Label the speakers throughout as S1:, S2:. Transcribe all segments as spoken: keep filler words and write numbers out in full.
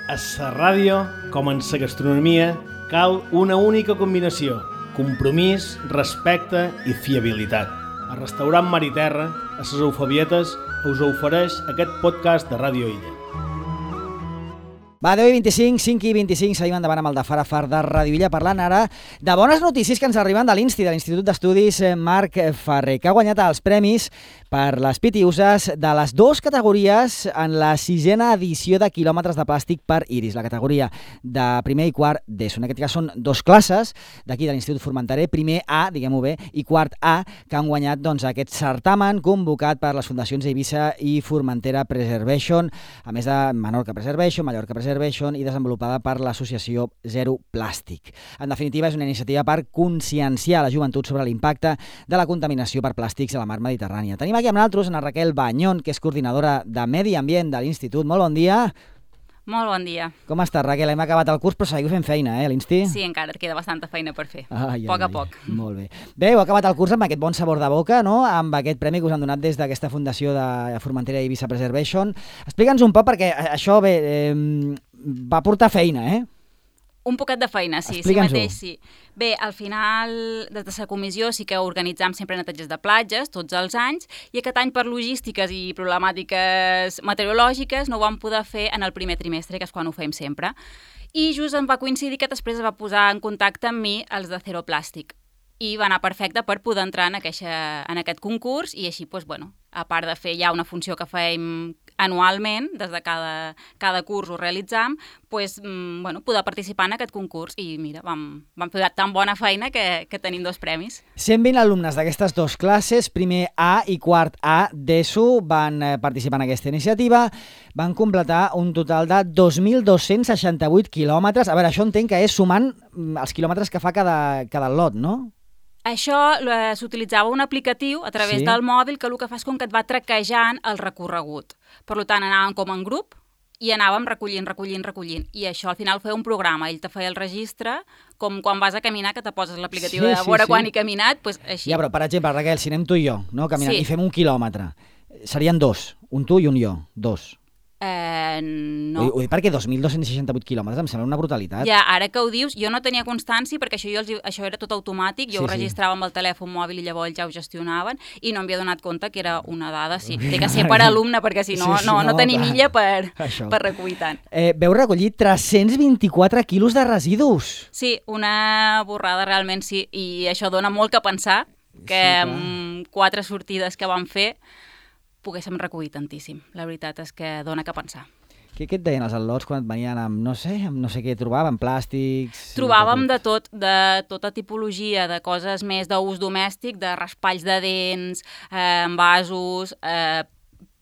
S1: A la ràdio, com en la gastronomia, cal una única combinació: compromís, respecte i fiabilitat. El restaurant Mar i Terra, a les Eufabietes, us ofereix aquest podcast de Ràdio Illa.
S2: Va, deu i vint-i-cinc, cinc i vint-i-cinc, seguim endavant amb el de Far a Far de Ràdio Illa, parlant ara de bones notícies que ens arriben de l'Insti, de l'Institut d'Estudis Marc Ferrer, que ha guanyat els premis per les pitiuses de les dues categories en la sisena edició de quilòmetres de plàstic per Iris, la categoria de primer i quart d'ESO. En aquest cas són dos classes d'aquí de l'Institut Formenterer, primer A, diguem-ho bé, i quart A, que han guanyat doncs, aquest certamen convocat per les fundacions Eivissa i Formentera Preservation, a més de Menorca Preservation, Mallorca Preservation, i desenvolupada per l'associació Zero Plàstic. En definitiva, és una iniciativa per conscienciar la joventut sobre l'impacte de la contaminació per plàstics a la mar Mediterrània. Tenim aquí amb nosaltres a Raquel Bañón, que és coordinadora de Medi Ambient de l'Institut. Molt bon dia.
S3: Molt bon dia.
S2: Com estàs, Raquel? Hem acabat el curs, però seguiu fent feina, eh, a l'Insti?
S3: Sí, encara queda bastanta feina per fer,
S2: ai,
S3: a poc
S2: ai,
S3: a poc.
S2: Ai. Molt bé. Bé, heu acabat el curs amb aquest bon sabor de boca, no?, amb aquest premi que us han donat des d'aquesta fundació de Formentera i Eivissa Preservation. Explica'ns un poc, perquè això, bé, eh, va portar feina, eh?
S3: Un poquet de feina, sí, sí mateix, sí. Bé, al final, des de la comissió sí que organitzam sempre neteges de platges, tots els anys, i aquest any per logístiques i problemàtiques meteorològiques no ho vam poder fer en el primer trimestre, que és quan ho fem sempre. I just em va coincidir que després es va posar en contacte amb mi els de Zero Plàstic. I va anar perfecte per poder entrar en, aqueixa, en aquest concurs i així, doncs, bueno, a part de fer ja una funció que fem anualment, des de cada, cada curs ho realitzam, doncs, bueno, poder participar en aquest concurs i mira, vam, vam fer tan bona feina que, que tenim dos premis.
S2: cent vint alumnes d'aquestes dues classes, primer A i quart A d'ESO, van participar en aquesta iniciativa, van completar un total de dos mil dos-cents seixanta-vuit quilòmetres. A veure, això entenc que és sumant els quilòmetres que fa cada, cada lot, no?
S3: Això s'utilitzava un aplicatiu a través sí. del mòbil que el que fa és com que et va traquejant el recorregut. Per tant, anàvem com en grup i anàvem recollint, recollint, recollint. I això al final feia un programa. Ell te feia el registre, com quan vas a caminar, que te poses l'aplicatiu sí, de veure sí, quan sí. he caminat, doncs així.
S2: Ja, però per exemple, Raquel, si anem tu i jo, no, caminant,
S3: sí.
S2: i fem un quilòmetre, serien dos, un tu i un jo, dos.
S3: Eh, no.
S2: Ho, ho dic perquè dos mil dos-cents seixanta-vuit quilòmetres em sembla una brutalitat.
S3: Ja, ara que ho dius, jo no tenia constància perquè això, jo els, això era tot automàtic, jo sí, ho registrava sí. amb el telèfon mòbil i llavors ja ho gestionaven i no m'havia donat compte que era una dada, sí, té que ser per alumne perquè si no, sí, sí, no, no, no tenim illa per, per recollir tant.
S2: Eh, veu recollir tres-cents vint-i-quatre quilos de residus.
S3: Sí, una borrada realment, sí, i això dona molt que pensar que sí, amb quatre sortides que vam fer poguéssim recollir tantíssim. La veritat és que dona que pensar.
S2: Què, què et deien els al·lots quan et venien amb, no sé, amb no sé què trobaven, plàstics...
S3: Trobàvem de tot, de tota tipologia, de coses més d'ús domèstic, de raspalls de dents, eh, envasos, eh,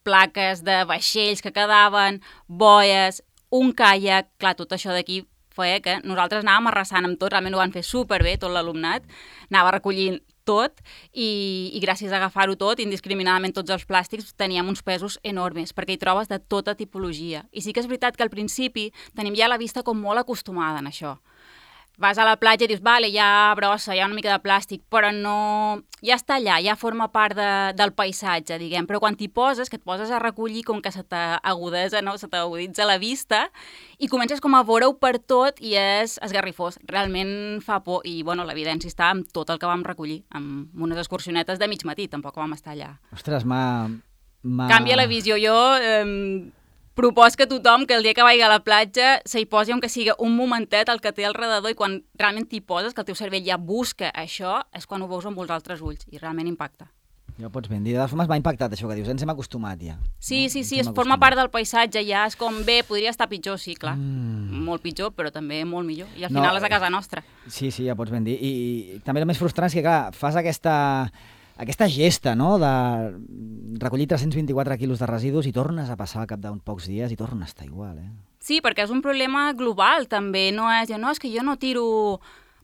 S3: plaques de vaixells que quedaven, boies, un caiac... Clar, tot això d'aquí feia que nosaltres anàvem arrasant amb tot, realment ho van fer superbé, tot l'alumnat, anava recollint tot i, i gràcies a agafar-ho tot, indiscriminadament tots els plàstics, teníem uns pesos enormes, perquè hi trobes de tota tipologia. I sí que és veritat que al principi tenim ja la vista com molt acostumada en això. Vas a la platja i dius, vale, hi ha brossa, hi ha una mica de plàstic, però no... ja està allà, ja forma part de, del paisatge, diguem, però quan t'hi poses, que et poses a recollir com que se t'agudesa, no? Se t'aguditza la vista i comences com a veure-ho per tot i és esgarrifós. Realment fa por i, bueno, l'evidència està amb tot el que vam recollir, amb unes excursionetes de mig matí, tampoc vam estar allà.
S2: Ostres, m'ha...
S3: Canvia la visió. Jo... Eh, Propos que tothom que el dia que vagi a la platja s'hi posi, aunque sigui un momentet, el que té al redador, i quan realment t'hi poses, que el teu cervell ja busca això, és quan ho veus amb els altres ulls, i realment impacta.
S2: Ja ho pots ben dir. De totes formes m'ha impactat això que dius, ens hem acostumat ja.
S3: Sí,
S2: no?
S3: sí, sí, es forma part del paisatge ja, és com bé, podria estar pitjor, sí, clar. Mm. Molt pitjor, però també molt millor. I al final no, és a casa nostra.
S2: Sí, sí, ja pots ben dir. I, i també el més frustrant és que, clar, fas aquesta... aquesta gesta, no?, de recollir tres-cents vint-i-quatre quilos de residus i tornes a passar al cap d'uns pocs dies i torna a estar igual, eh?
S3: Sí, perquè és un problema global, també. No és, no, és que jo no tiro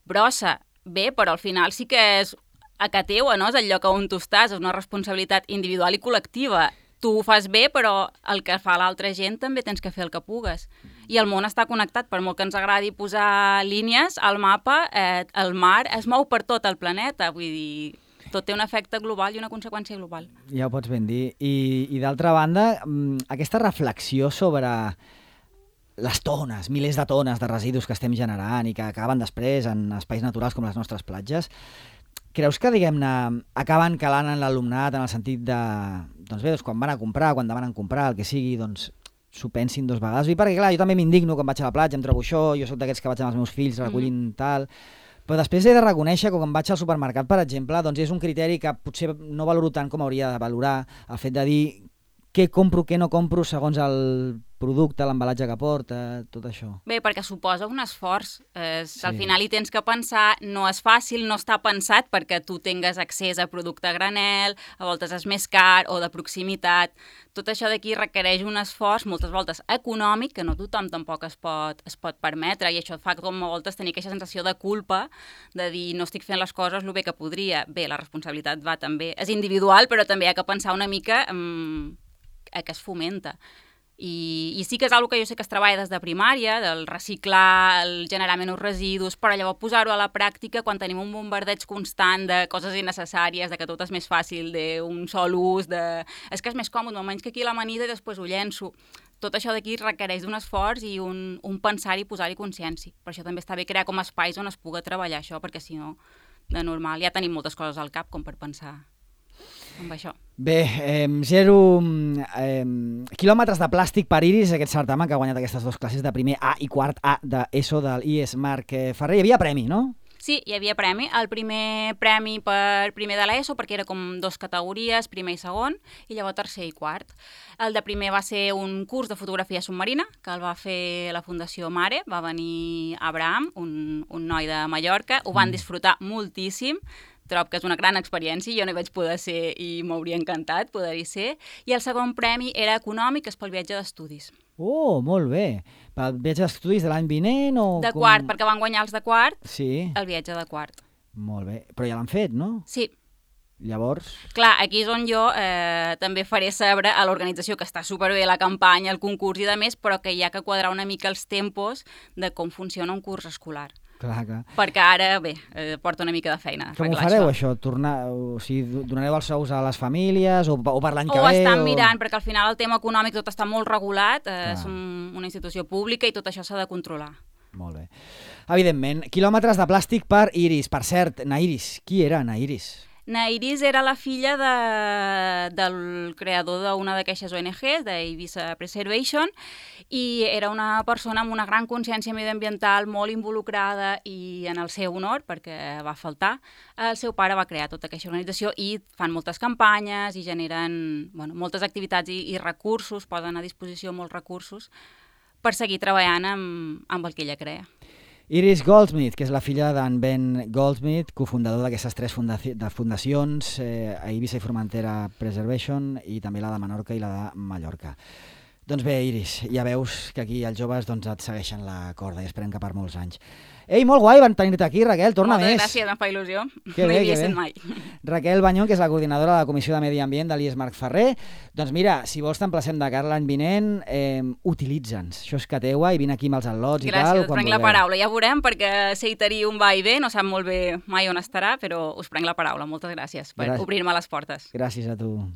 S3: brossa. Bé, però al final sí que és a casa teua, no? És el lloc on tu estàs, és una responsabilitat individual i col·lectiva. Tu ho fas bé, però el que fa l'altra gent també tens que fer el que pugues. I el món està connectat, per molt que ens agradi posar línies al mapa, eh, el mar es mou per tot el planeta, vull dir... tot té un efecte global i una conseqüència global.
S2: Ja ho pots ben dir. I, i d'altra banda, aquesta reflexió sobre les tones, milers de tones de residus que estem generant i que acaben després en espais naturals com les nostres platges, creus que, diguem-ne, acaben calant en l'alumnat en el sentit de, doncs bé, doncs quan van a comprar, quan demanen comprar, el que sigui, doncs s'ho pensin dos vegades? I perquè, clar, jo també m'indigno quan vaig a la platja, em trobo això, jo soc d'aquests que vaig amb els meus fills recollint mm-hmm. tal, però després he de reconèixer que quan vaig al supermercat, per exemple, doncs és un criteri que potser no valoro tant com hauria de valorar, el fet de dir què compro, què no compro segons el producte, l'embalatge que porta, tot això.
S3: Bé, perquè suposa un esforç. Eh, sí. Al final hi tens que pensar, no és fàcil, no està pensat perquè tu tingues accés a producte a granel, a voltes és més car o de proximitat. Tot això d'aquí requereix un esforç, moltes voltes econòmic, que no tothom tampoc es pot, es pot permetre, i això fa com a voltes tenir aquesta sensació de culpa, de dir no estic fent les coses el bé que podria. Bé, la responsabilitat va també, és individual, però també hi ha que pensar una mica um, a què es fomenta. I, i sí que és una cosa que jo sé que es treballa des de primària, del reciclar, el generar menys residus, però llavors posar-ho a la pràctica quan tenim un bombardeig constant de coses innecessàries, de que tot és més fàcil, d'un sol ús, de... és que és més còmode, almenys que aquí l'amanida i després ho llenço. Tot això d'aquí requereix d'un esforç i un, un pensar i posar-hi consciència. Per això també està bé crear com espais on es pugui treballar això, perquè si no, de normal, ja tenim moltes coses al cap com per pensar amb això.
S2: Bé, eh, zero eh, quilòmetres de plàstic per Iris, aquest certamen que ha guanyat aquestes dues classes de primer A i quart A d'ESO del I E S Marc Ferrer. Hi havia premi, no?
S3: Sí, hi havia premi. El primer premi per primer de l'ESO, perquè era com dos categories, primer i segon, i llavors tercer i quart. El de primer va ser un curs de fotografia submarina, que el va fer la Fundació Mare, va venir Abraham, un, un noi de Mallorca, ho van disfrutar moltíssim, trobo que és una gran experiència, jo no hi vaig poder ser i m'hauria encantat poder-hi ser, i el segon premi era econòmic, és pel viatge d'estudis.
S2: Oh, molt bé. Pel viatge d'estudis de l'any vinent o...
S3: De
S2: com...
S3: quart, perquè van guanyar els de quart,
S2: sí.
S3: El viatge de quart.
S2: Molt bé, però ja l'han fet, no?
S3: Sí.
S2: Llavors...
S3: Clar, aquí és on jo eh, també faré saber a l'organització que està superbé la campanya, el concurs i de més, però que hi ha que quadrar una mica els tempos de com funciona un curs escolar.
S2: Clar, clar.
S3: Perquè ara, bé, eh, porta una mica de feina.
S2: Com ho fareu, això? Tornar, o sigui, donareu els sous a les famílies o, o per l'any que
S3: ve?
S2: ve?
S3: Ho estan
S2: o...
S3: mirant, perquè al final el tema econòmic tot està molt regulat, eh,
S2: Clar.
S3: és un, una institució pública i tot això s'ha de controlar.
S2: Molt bé. Evidentment, quilòmetres de plàstic per Iris. Per cert, na Iris, qui era na Iris?
S3: Na Iris era la filla de, del creador d'una d'aquestes O N Ges, d'Eivissa Preservation, i era una persona amb una gran consciència mediambiental, molt involucrada, i en el seu honor, perquè va faltar, el seu pare va crear tota aquesta organització i fan moltes campanyes i generen bueno, moltes activitats i, i recursos, posen a disposició molts recursos per seguir treballant amb, amb el que ella crea.
S2: Iris Goldsmith, que és la filla d'en Ben Goldsmith, cofundador d'aquestes tres fundaci de fundacions, eh, Eivissa i Formentera Preservation, i també la de Menorca i la de Mallorca. Doncs bé, Iris, ja veus que aquí els joves doncs, et segueixen la corda i esperem que per molts anys. Ei, molt guai, van tenir-te aquí, Raquel, torna
S3: Moltes
S2: més.
S3: Moltes gràcies, em fa il·lusió.
S2: Que
S3: no
S2: bé,
S3: hi havia
S2: que
S3: estat
S2: bé.
S3: mai.
S2: Raquel Banyón, que és la coordinadora de la Comissió de Medi Ambient de l'I E S Marc Ferrer. Doncs mira, si vols t'emplacem de cara l'any vinent, eh, utilitza'ns. Això és que teua i vine aquí amb els al·lots i tal.
S3: Gràcies, us
S2: quan
S3: prenc la
S2: vulgueu.
S3: paraula. Ja veurem, perquè Seitari un va i ve, no sap molt bé mai on estarà, però us prenc la paraula. Moltes gràcies per
S2: Gràcies.
S3: obrir-me les portes.
S2: Gràcies a tu.